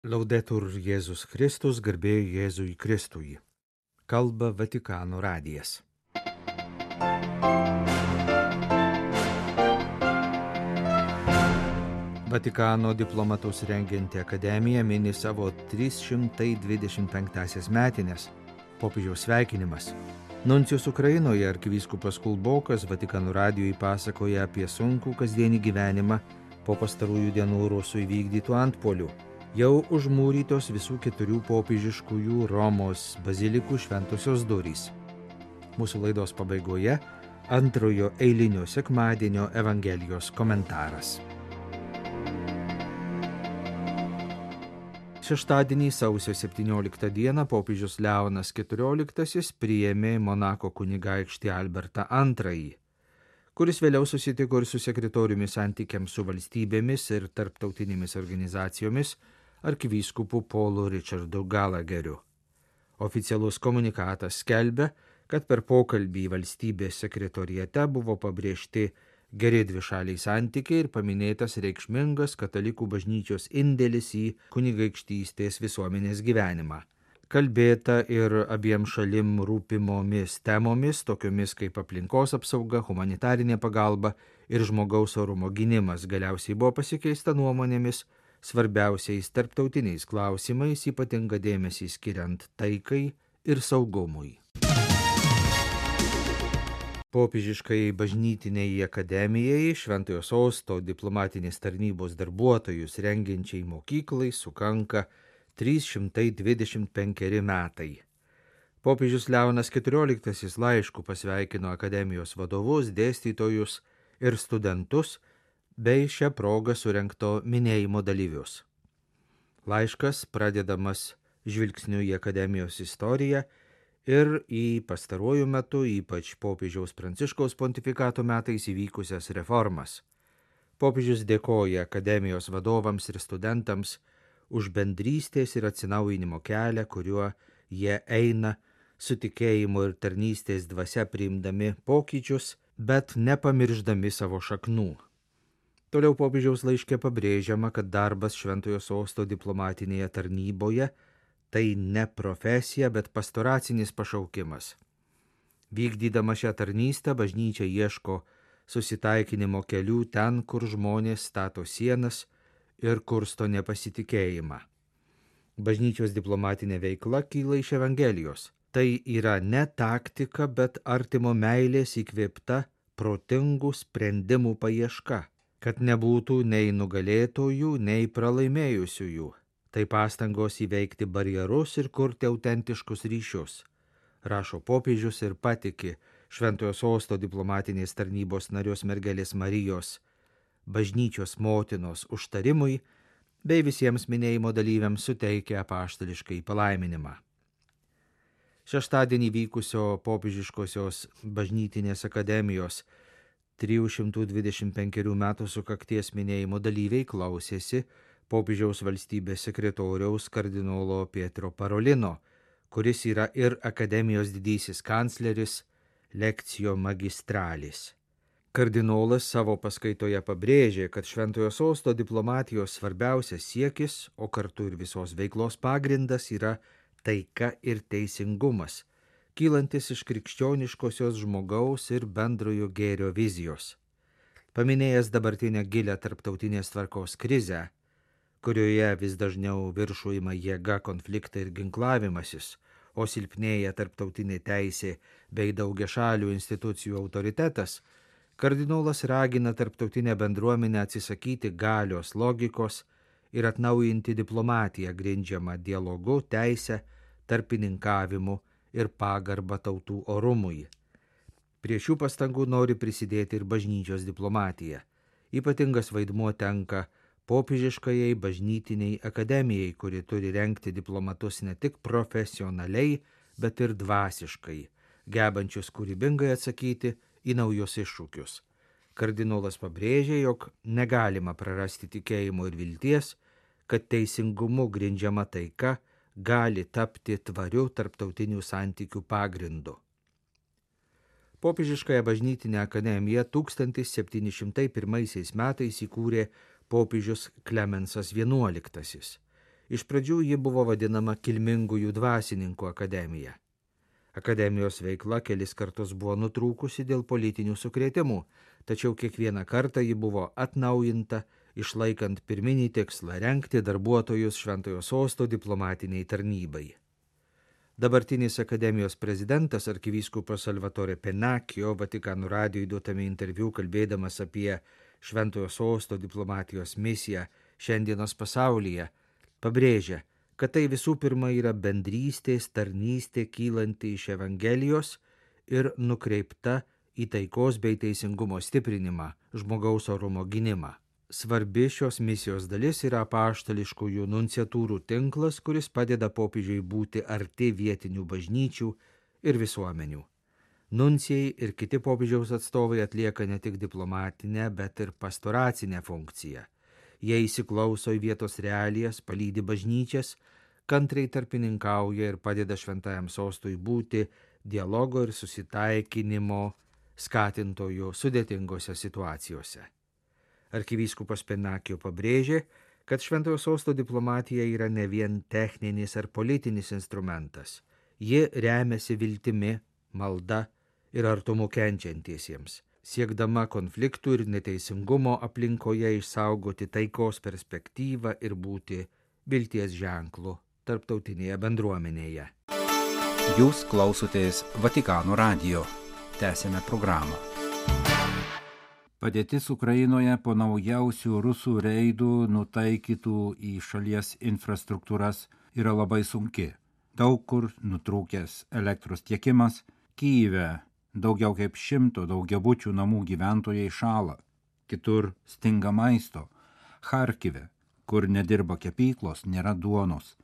Laudetur Jėzus Kristus, garbė Jėzui Kristui. Kalba Vatikano radijas. Vatikano diplomatus rengianti akademija mini savo 325 metinės. Popiežiaus sveikinimas. Nuncijus Ukrainoje arkivyskupas Kulbokas Vatikano radijui pasakoja apie sunkų kasdienį gyvenimą po pastarųjų dienų rusų įvykdytų antpuolių. Jau užmūrytos visų 4 popiežiškųjų Romos bazilikų šventosios durys. Mūsų laidos pabaigoje antrojo eilinio sekmadienio Evangelijos komentaras. Šeštadienį sausio 17 dieną popiežius Leonas XIV priėmė Monako kunigaikštį Albertą II, kuris vėliau susitiko ir su sekretoriumi santykiams su valstybėmis ir tarptautinėmis organizacijomis arkivyskupu Paulu Richardu Gallagheriu. Oficialus komunikatas skelbia, kad per pokalbį valstybės sekretoriate buvo pabrėžti geri dvišaliai santykiai ir paminėtas reikšmingas katalikų bažnyčios indėlis į kunigaikštystės visuomenės gyvenimą. Kalbėta ir abiem šalim rūpimomis temomis, tokiomis kaip aplinkos apsauga, humanitarinė pagalba ir žmogaus orumo gynimas. Galiausiai buvo pasikeista nuomonėmis svarbiausiais tarptautiniais klausimais, ypatingą dėmesį skiriant taikai ir saugumui. Popiežiškai bažnytiniai akademijai Šventojo Sosto diplomatinės tarnybos darbuotojus rengiančiai mokyklai sukanka 325 metai. Popiežius Leonas XIV laišku pasveikino akademijos vadovus, dėstytojus ir studentus bei šią progą surengto minėjimo dalyvius. Laiškas pradedamas žvilgsniu į akademijos istoriją ir į pastaruoju metu, ypač popiežiaus Pranciškaus pontifikato metais įvykusias reformas. Popiežius dėkoja akademijos vadovams ir studentams už bendrystės ir atsinaujinimo kelią, kuriuo jie eina su tikėjimu ir tarnystės dvasia priimdami pokyčius, bet nepamirždami savo šaknų. Toliau popiežiaus laiške pabrėžiama, kad darbas Šventojo Sosto diplomatinėje tarnyboje tai ne profesija, bet pastoracinis pašaukimas. Vykdydama šią tarnystę, bažnyčia ieško susitaikinimo kelių ten, kur žmonės stato sienas ir kursto nepasitikėjimą. Bažnyčios diplomatinė veikla kyla iš Evangelijos. Tai yra ne taktika, bet artimo meilės įkvėpta protingų sprendimų paieška, kad nebūtų nei nugalėtojų, nei pralaimėjusiųjų. Tai pastangos įveikti barjerus ir kurti autentiškus ryšius, rašo popiežius ir patiki Šventojo Sosto diplomatinės tarnybos narios mergelės Marijos, bažnyčios motinos užtarimui bei visiems minėjimo dalyviams suteikia apaštališkai palaiminimą. Šeštadienį vykusio popiežiškosios bažnytinės akademijos 325 metų sukakties minėjimo dalyviai klausėsi popiežiaus valstybės sekretoriaus kardinolo Pietro Parolino, kuris yra ir akademijos didysis kancleris Lectio Magistralis. Kardinolas savo paskaitoje pabrėžė, kad Šventojo Sosto diplomatijos svarbiausias siekis, o kartu ir visos veiklos pagrindas yra taika ir teisingumas, kylantis iš krikščioniškosios žmogaus ir bendrojo gėrio vizijos. Paminėjęs dabartinę gilią tarptautinės tvarkos krizę, kurioje vis dažniau viršų ima jėga, konfliktai ir ginklavimasis, o silpnėja tarptautinė teisė bei daugiašalių institucijų autoritetas, kardinolas ragina tarptautinę bendruomenę atsisakyti galios logikos ir atnaujinti diplomatiją grindžiamą dialogu, teise, tarpininkavimu ir pagarbą tautų orumui. Prie šių pastangų nori prisidėti ir bažnyčios diplomatija. Ypatingas vaidmuo tenka popiežiškajai bažnytiniai akademijai, kuri turi rengti diplomatus ne tik profesionaliai, bet ir dvasiškai, gebančius kūrybingai atsakyti į naujus iššūkius. Kardinolas pabrėžė, jog negalima prarasti tikėjimo ir vilties, kad teisingumu grindžiama taika gali tapti tvariu tarptautinių santykių pagrindu. Popiežiškąją bažnytinę akademiją 1701 metais įkūrė popiežius Klemensas XI Iš pradžių ji buvo vadinama Kilmingųjų dvasininkų akademija. Akademijos veikla kelis kartus buvo nutrūkusi dėl politinių sukrėtimų, tačiau kiekvieną kartą ji buvo atnaujinta, išlaikant pirminį tikslą rengti darbuotojus Šventojo Sosto diplomatiniai tarnybai. Dabartinis akademijos prezidentas arkivyskupas Salvatore Pennacchio Vatikano radijui duotame interviu kalbėdamas apie Šventojo Sosto diplomatijos misiją šiandienos pasaulyje pabrėžia, kad tai visų pirma yra bendrystės tarnystė kylanti iš Evangelijos ir nukreipta į taikos bei teisingumo stiprinimą, žmogaus orumo gynimą. Svarbi šios misijos dalis yra apaštališkųjų nunciatūrų tinklas, kuris padeda popiežiui būti arti vietinių bažnyčių ir visuomenių. Nuncijai ir kiti popiežiaus atstovai atlieka ne tik diplomatinę, bet ir pastoracinę funkciją. Jie įsiklauso į vietos realijas, palydi bažnyčias, kantriai tarpininkauja ir padeda Šventajam Sostui būti dialogo ir susitaikinimo skatintojų sudėtingose situacijose. Arkivyskupas Pennacchio pabrėžė, kad Šventojo Sosto diplomatija yra ne vien techninis ar politinis instrumentas. Ji remiasi viltimi, malda ir artumu kenčiantiesiems, siekdama konfliktų ir neteisingumo aplinkoje išsaugoti taikos perspektyvą ir būti vilties ženklu tarptautinėje bendruomenėje. Jūs klausotės Vatikano radijo. Tęsėme programą. Padėtis Ukrainoje po naujausių rusų reidų nutaikytų į šalies infrastruktūras yra labai sunki. Daug kur nutrūkęs elektros tiekimas, Kyjive daugiau kaip 100 daugiabučių namų gyventojai šąla, kitur stinga maisto, Charkive, kur nedirba kepyklos, nėra duonos.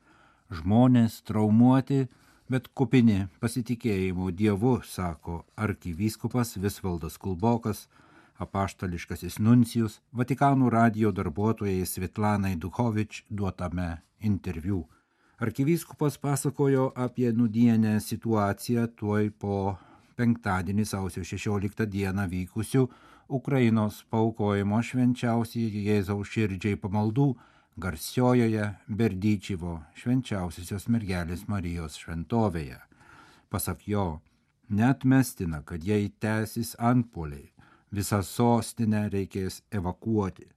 Žmonės traumuoti, bet kupini pasitikėjimo Dievu, sako arkivyskupas Visvaldas Kulbokas, apaštališkasis nuncijus Vatikano radijo darbuotojai Svetlanai Duchovič duotame interviu. Arkivyskupas pasakojo apie nūdienę situaciją tuoj po penktadienį sausio 16 dieną vykusių Ukrainos paaukojimo švenčiausiai Jėzaus širdžiai pamaldų garsiojoje Berdyčivo švenčiausiosios mergelės Marijos šventovėje. Pasak jo, neatmestina, kad jei tęsis antpuoliai, visą sostinę reikės evakuoti.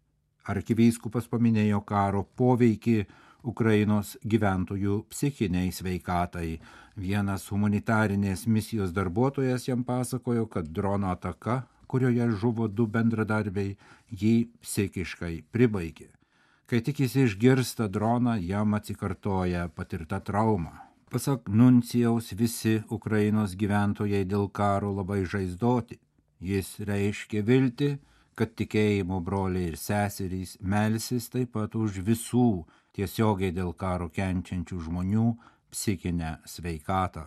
Arkivyskupas paminėjo karo poveikį Ukrainos gyventojų psichiniai sveikatai. Vienas humanitarinės misijos darbuotojas jam pasakojo, kad drono ataka, kurioje žuvo 2 bendradarbiai, jį psichiškai pribaigė. Kai tik jis išgirsta droną, jam atsikartoja patirta trauma. Pasak nuncijaus, visi Ukrainos gyventojai dėl karo labai žaizdoti. Jis reiškia viltį, kad tikėjimo broliai ir seserys melsis taip pat už visų tiesiogiai dėl karo kenčiančių žmonių psichinę sveikatą.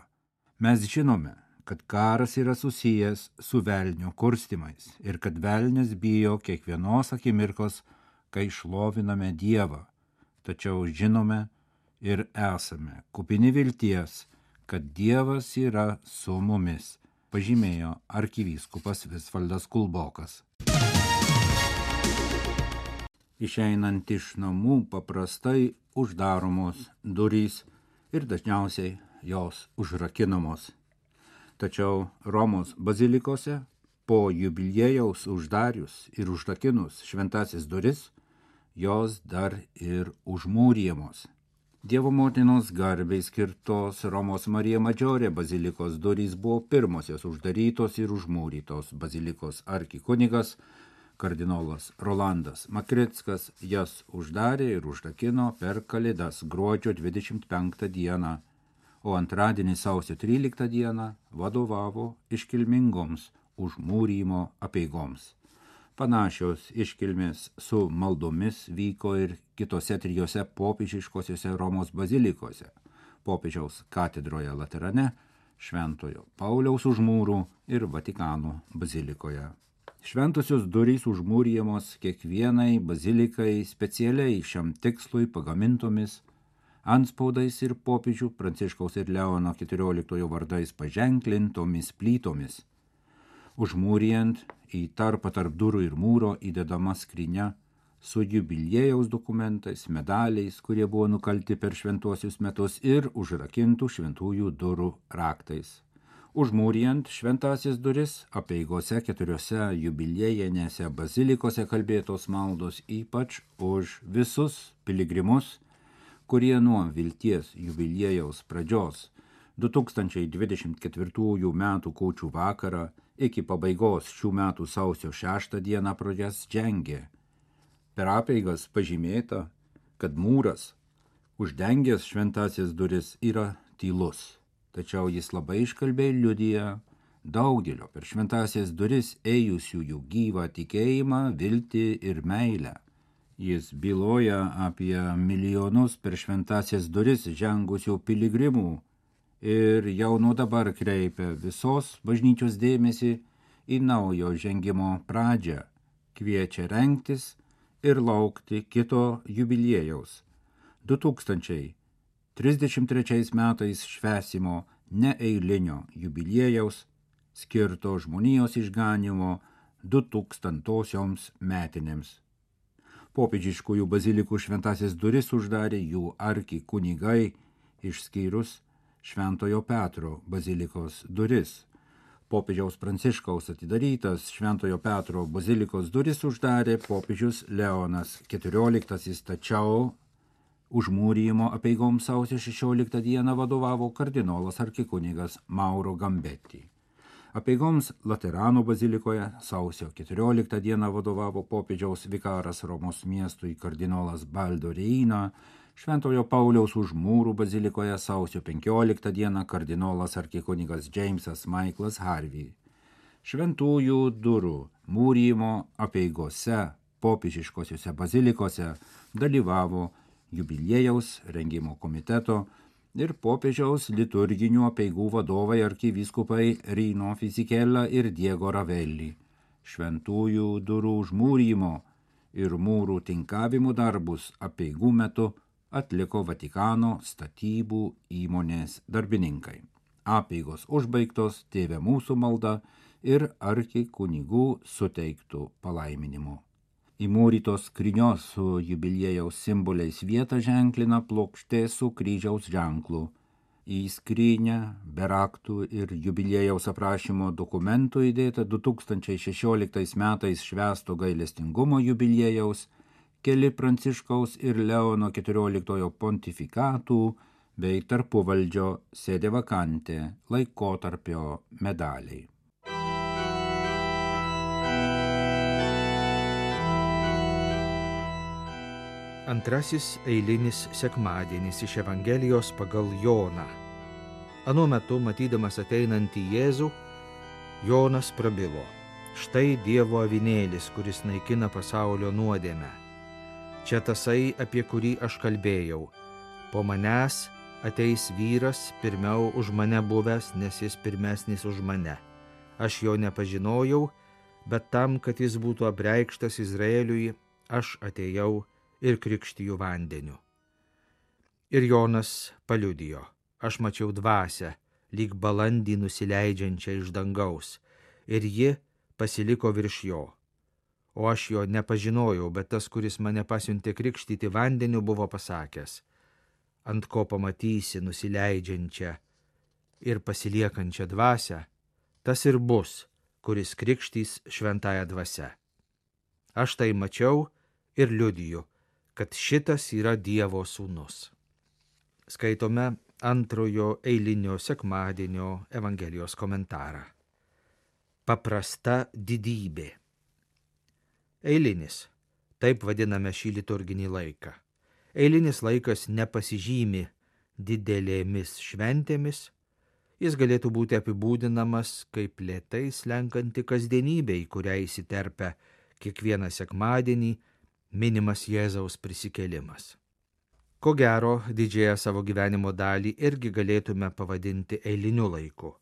Mes žinome, kad karas yra susijęs su velnio kurstymais ir kad velnias bijo kiekvienos akimirkos, kai šloviname Dievą. Tačiau žinome ir esame kupini vilties, kad Dievas yra su mumis, pažymėjo arkivyskupas Visvaldas Kulbokas. Išeinant iš namų paprastai uždaromos durys ir dažniausiai jos užrakinamos. Tačiau Romos bazilikose po jubiliejaus uždarius ir užrakinus šventasis duris, jos dar ir užmūrijamos. Dievo motinos garbei skirtos Romos Marija Madžiorė bazilikos durys buvo pirmosios uždarytos ir užmūrytos. Bazilikos arkikunigas kardinolas Rolandas Makrickas jas uždarė ir užrakino per Kalėdas gruodžio 25 dieną, o antradienį sausio 13 dieną vadovavo iškilmingoms užmūrymo apeigoms. Panašios iškilmės su maldomis vyko ir kitose 3 popiežiškosiose Romos bazilikose – Popiežiaus katedroje Laterane, Šventojo Pauliaus už mūrų ir Vatikano bazilikoje. Šventosios durys užmūrijamos kiekvienai bazilikai specialiai šiam tikslui pagamintomis antspaudais ir popiežių Pranciškaus ir Leono 14 vardais paženklintomis plytomis. Užmūrijant į tarpą tarp durų ir mūro įdedama skrynia su jubiliejaus dokumentais, medaliais, kurie buvo nukalti per šventuosius metus ir užrakintų šventųjų durų raktais. Užmūrijant šventąsias duris, apeigose 4 jubiliejinėse bazilikose kalbėtos maldos ypač už visus piligrimus, kurie nuo vilties jubiliejaus pradžios 2024 metų kūčių vakarą iki pabaigos šių metų sausio 6 dieną pro jas žengė. Per apeigas pažymėta, kad mūras, uždengęs šventąsias duris, yra tylus, tačiau jis labai iškalbiai liudija daugelio per šventąsias duris ėjusiųjų gyvą tikėjimą, viltį ir meilę. Jis byloja apie milijonus per šventąsias duris žengusių piligrimų ir jau nuo dabar kreipia visos bažnyčios dėmesį į naujo žengimo pradžią, kviečia rengtis ir laukti kito jubiliejaus. 2033 metais švęsimo neeilinio jubiliejaus skirto žmonijos išganimo 2000-osioms metinėms. Popiežiškųjų bazilikų šventąsias duris uždarė jų arkikunigai, išskyrus Šventojo Petro bazilikos duris. Popiežiaus Pranciškaus atidarytas Šventojo Petro bazilikos duris uždarė popiežius Leonas XIV, tačiau užmūrijimo apeigoms sausio 16 dieną vadovavo kardinolas arkikunigas Mauro Gambetti. Apeigoms Laterano bazilikoje sausio 14 dieną vadovavo popiežiaus vikaras Romos miestui kardinolas Baldo Reina, Šventojo Pauliaus Užmūrų bazilikoje sausio 15 dieną kardinolas arkikunigas Jamesas Michaelas Harvey. Šventųjų durų mūrijimo apeigose popiežiškosiuose bazilikose dalyvavo jubiliejaus rengimo komiteto ir popiežiaus liturginių apeigų vadovai arkivyskupai Rino Fisichella ir Diego Ravelli. Šventųjų durų užmūrijimo ir mūrų tinkavimo darbus apeigų metu atliko Vatikano statybų įmonės darbininkai. Apeigos užbaigtos Tėve mūsų malda ir arkikunigų suteiktų palaiminimu. Įmūrytos skrynios su jubiliejaus simboliais vietą ženklina plokštė su kryžiaus ženklu. Į skrynią be raktų ir jubiliejaus aprašymo dokumentų įdėta 2016 metais švęsto gailestingumo jubiliejaus, keli Pranciškaus ir Leono XIV pontifikatų bei tarpuvaldžio sede vakante laikotarpio medaliai. Antrasis eilinis sekmadienis iš Evangelijos pagal Joną. Anuo metu, matydamas ateinantį Jėzų, Jonas prabilo: štai Dievo avinėlis, kuris naikina pasaulio nuodėmę. Čia tasai, apie kurį aš kalbėjau. Po manęs ateis vyras, pirmiau už mane buvęs, nes jis pirmesnis už mane. Aš jo nepažinojau, bet tam, kad jis būtų apreikštas Izraeliui, aš atėjau ir krikštiju vandeniu. Ir Jonas paliudijo: aš mačiau dvasią, lyg balandį nusileidžiančią iš dangaus, ir ji pasiliko virš jo. O aš jo nepažinojau, bet tas, kuris mane pasiuntė krikštyti vandeniu, buvo pasakęs: ant ko pamatysi nusileidžiančią ir pasiliekančią dvasią, tas ir bus, kuris krikštys šventąją dvasią. Aš tai mačiau ir liudiju, kad šitas yra Dievo sūnus. Skaitome antrojo eilinio sekmadienio Evangelijos komentarą. Paprasta didybė. Eilinis. Taip vadiname šį liturginį laiką. Eilinis laikas nepasižymi didelėmis šventėmis. Jis galėtų būti apibūdinamas kaip lėtai slenkanti kasdienybė, į kurią įsiterpia kiekvieną sekmadienį minimas Jėzaus prisikėlimas. Ko gero, didžiąją savo gyvenimo dalį irgi galėtume pavadinti eiliniu laiku.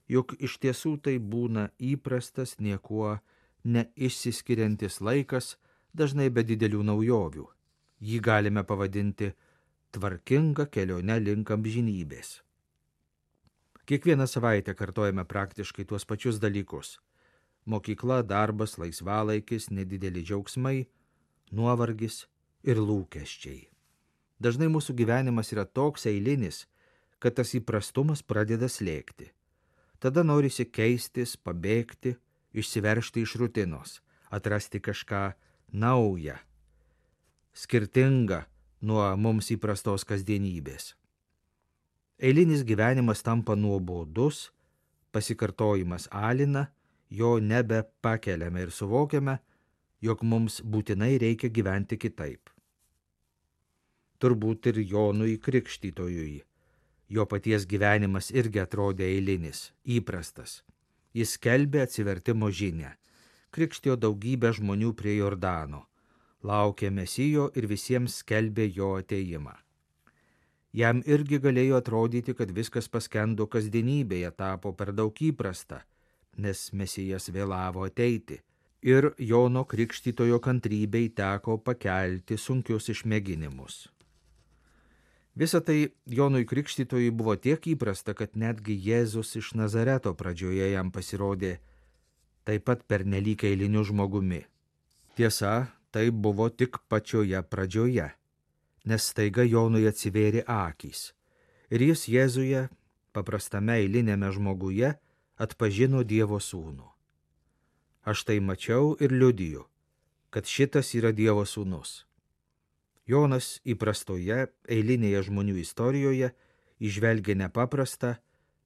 Juk iš tiesų tai būna įprastas, niekuo neišsiskiriantis laikas, dažnai be didelių naujovių. Jį galime pavadinti tvarkinga kelionė link amžinybės. Kiekvieną savaitę kartojame praktiškai tuos pačius dalykus. Mokykla, darbas, laisvalaikis, nedideli džiaugsmai, nuovargis ir lūkesčiai. Dažnai mūsų gyvenimas yra toks eilinis, kad tas įprastumas pradeda slėgti. Tada norisi keistis, pabėgti, išsiveržti iš rutinos, atrasti kažką naują, skirtingą nuo mums įprastos kasdienybės. Eilinis gyvenimas tampa nuobodus, pasikartojimas alina, jo nebepakeliame ir suvokiame, jog mums būtinai reikia gyventi kitaip. Turbūt ir Jonui Krikštytojui. Jo paties gyvenimas irgi atrodė eilinis, įprastas. Jis skelbė atsivertimo žinią, krikštijo daugybę žmonių prie Jordano, laukė Mesijo ir visiems skelbė jo atėjimą. Jam irgi galėjo atrodyti, kad viskas paskendo kasdienybėje, tapo per daug įprasta, nes Mesijas vėlavo ateiti, ir Jono Krikštytojo kantrybei teko pakelti sunkius išmėginimus. Visa tai Jonui Krikštytojui buvo tiek įprasta, kad netgi Jėzus iš Nazareto pradžioje jam pasirodė taip pat pernelyg eiliniu žmogumi. Tiesa, tai buvo tik pačioje pradžioje, nes staiga Jonui atsivėrė akys ir jis Jėzuje, paprastame eilinėme žmoguje, atpažino Dievo sūnų. Aš tai mačiau ir liudiju, kad šitas yra Dievo sūnus. Jonas įprastoje eilinėje žmonių istorijoje įžvelgia nepaprastą,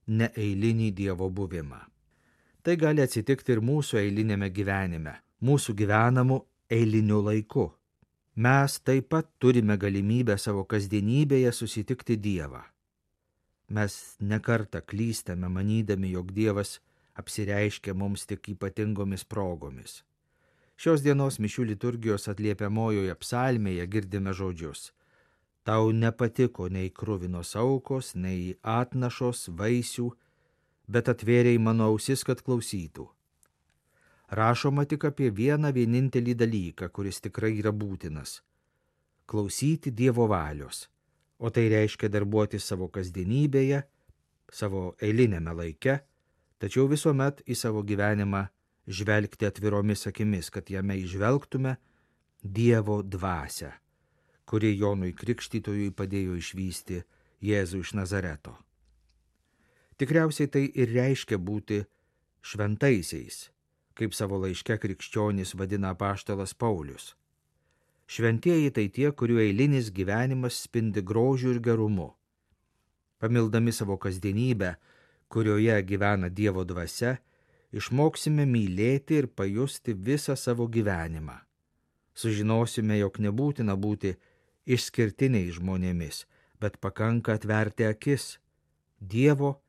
neeilinį Dievo buvimą. Tai gali atsitikti ir mūsų eilinėme gyvenime, mūsų gyvenamu eiliniu laiku. Mes taip pat turime galimybę savo kasdienybėje susitikti Dievą. Mes nekartą klystame manydami, jog Dievas apsireiškia mums tik ypatingomis progomis. Šios dienos mišių liturgijos atliepiamojoje psalmėje girdime žodžius: Tau nepatiko nei kruvinos aukos, nei atnašos, vaisių, bet atvėrei mano ausis, kad klausytų. Rašoma tik apie vieną vienintelį dalyką, kuris tikrai yra būtinas – klausyti Dievo valios, o tai reiškia darbuoti savo kasdienybėje, savo eilinėme laike, tačiau visuomet į savo gyvenimą žvelgti atviromis akimis, kad jame įžvelgtume Dievo dvasią, kuri Jonui Krikštytojui padėjo išvysti Jėzų iš Nazareto. Tikriausiai tai ir reiškia būti šventaisiais, kaip savo laiške krikščionys vadina apaštalas Paulius. Šventieji tai tie, kurių eilinis gyvenimas spindi grožiu ir gerumu. Pamildami savo kasdienybę, kurioje gyvena Dievo dvasia, išmoksime mylėti ir pajusti visą savo gyvenimą. Sužinosime, jog nebūtina būti išskirtiniais žmonėmis, bet pakanka atverti akis Dievo,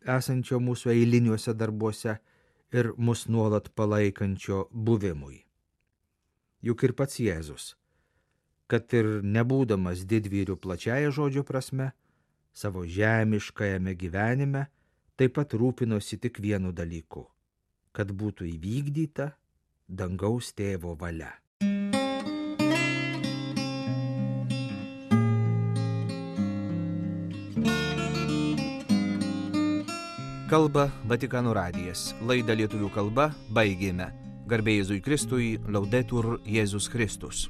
esančio mūsų eiliniuose darbuose ir mus nuolat palaikančio buvimui. Juk ir pats Jėzus, kad ir nebūdamas didvyriu plačiaja žodžio prasme, savo žemiškajame gyvenime taip pat rūpinosi tik vienu dalyku – kad būtų įvykdyta dangaus tėvo valia. Kalba Vatikano radijas. Laidą lietuvių kalba baigėme. Garbė Jėzui Kristui, Laudetur Jėzus Kristus.